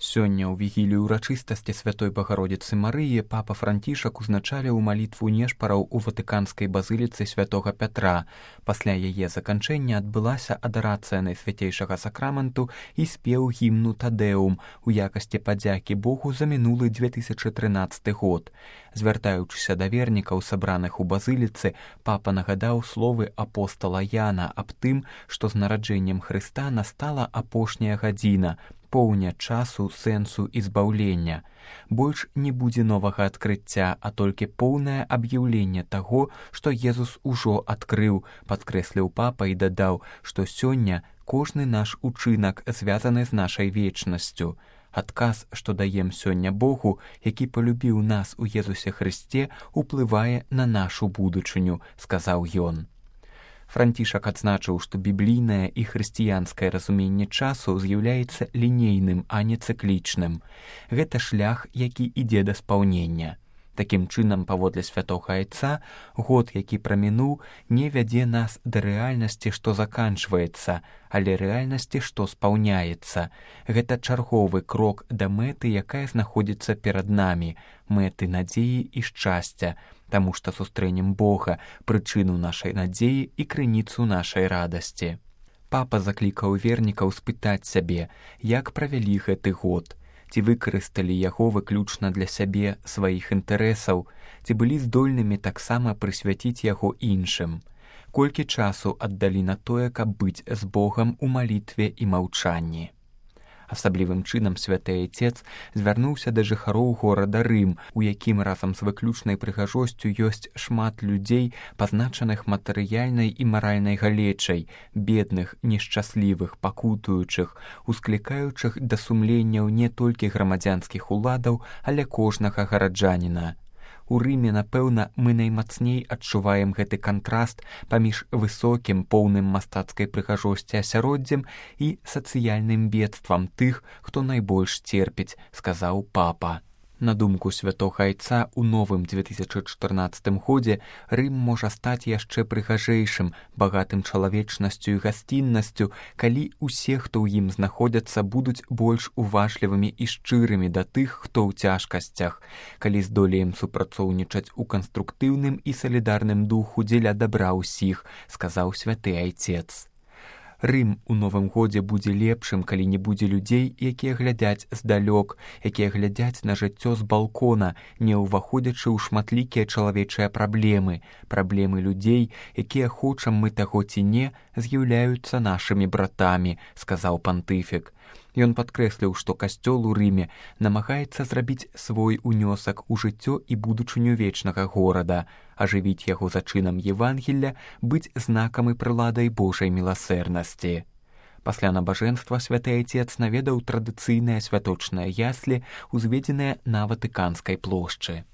Сёння ў вігілію ўрачыстасці Святой Багародзіцы Марыі папа Францішак узначаліў малітву нешпараў у ватыканскай базыліцы святога Пятра. Пасля яе заканчэння адбылася адарацыя Найсвяцейшага сакраменту і спеў гімну Тадэум у якасці падзякі Богу за мінулы 2013 год. Звяртаючыся да вернікаў, сабраных у базыліцы, папа нагадаў словы апостала Яна аб тым, што з нараджэннем Хрыста настала апошняя гадзіна, поўня часу, сэнсу і збаўлення. Больш не будзе новага адкрыцця, а толькі поўнае аб'яўленне таго, што Езус ужо адкрыў, падкрэсліў папа і дадаў, што сёння кожны наш учынак звязаны з нашай вечнасцю. Адказ, што даем сёння Богу, які палюбіў нас у Езусе Хрысце, уплывае на нашу будучыню, сказаў ён. Францішак адзначыў, што біблійнае і хрысціянскае разуменне часу з'яўляецца лінейным, а не цыклічным. Гэта шлях, які ідзе да спаўнення. Такім чынам, паводле святога Айца, год, які прамінуў, не вядзе нас да рэальнасці, што заканчваецца, але рэальнасці, што спаўняецца. Гэта чарговы крок да мэты, якая знаходзіцца перад намі, мэты надзеі і шчасця, таму што сустрэнем Бога, прычыну нашай надзеі і крыніцу нашай радасці. Папа заклікаў вернікаў спытаць сябе, як правялі гэты год, ці выкарысталі яго выключна для сябе, сваіх інтарэсаў, ці былі здольнымі таксама прысвяціць яго іншым, колькі часу аддалі на тое, каб быць з Богам у малітве і маўчанні. Асаблівым чынам святы Айцец звярнуўся да жыхароў горада Рым, у якім разам з выключнай прыгажосцю ёсць шмат людзей, пазначаных матэрыяльнай і маральнай галечай, бедных, нешчаслівых, пакутуючых, усклікаючых да сумленняў не толькі грамадзянскіх уладаў, але кожнага гараджаніна. У Рыме, напэўна, мы наймацней адчуваем гэты кантраст паміж высокім, поўным мастацкай прыгажосці асяроддзем і сацыяльным бедствам тых, хто найбольш церпіць, сказаў папа. На думку святога Айца, у новым 2014 годзе Рым можа стаць яшчэ прыгажэйшым, багатым чалавечнасцю і гасціннасцю, калі усе, хто ў ім знаходзяцца, будуць больш уважлівымі і шчырымі да тых, хто ў цяжкасцях, калі здолеем супрацоўнічаць у канструктыўным і салідарным духу дзеля дабра ўсіх, сказаў святы Айцец. Рым у новым годзе будзе лепшым, калі не будзе людзей, якія глядзяць здалёк, якія глядзяць на жыццё з балкона, не ўваходзячы ў шматлікія чалавечыя праблемы. Праблемы людзей, якія, хочам мы таго ці не, з'яўляюцца нашымі братамі, сказаў пантыфік. Ён падкрэсліў, што касцёл у Рыме намагаецца зрабіць свой унёсак у жыццё і будучыню вечнага горада, ажывіць яго зачынам Евангелля, быць знакам і прыладай Божай міласэрнасці. Пасля набажэнства святы Айцец наведаў традыцыйныя святочныя яслі, узведзеныя на Ватыканскай плошчы.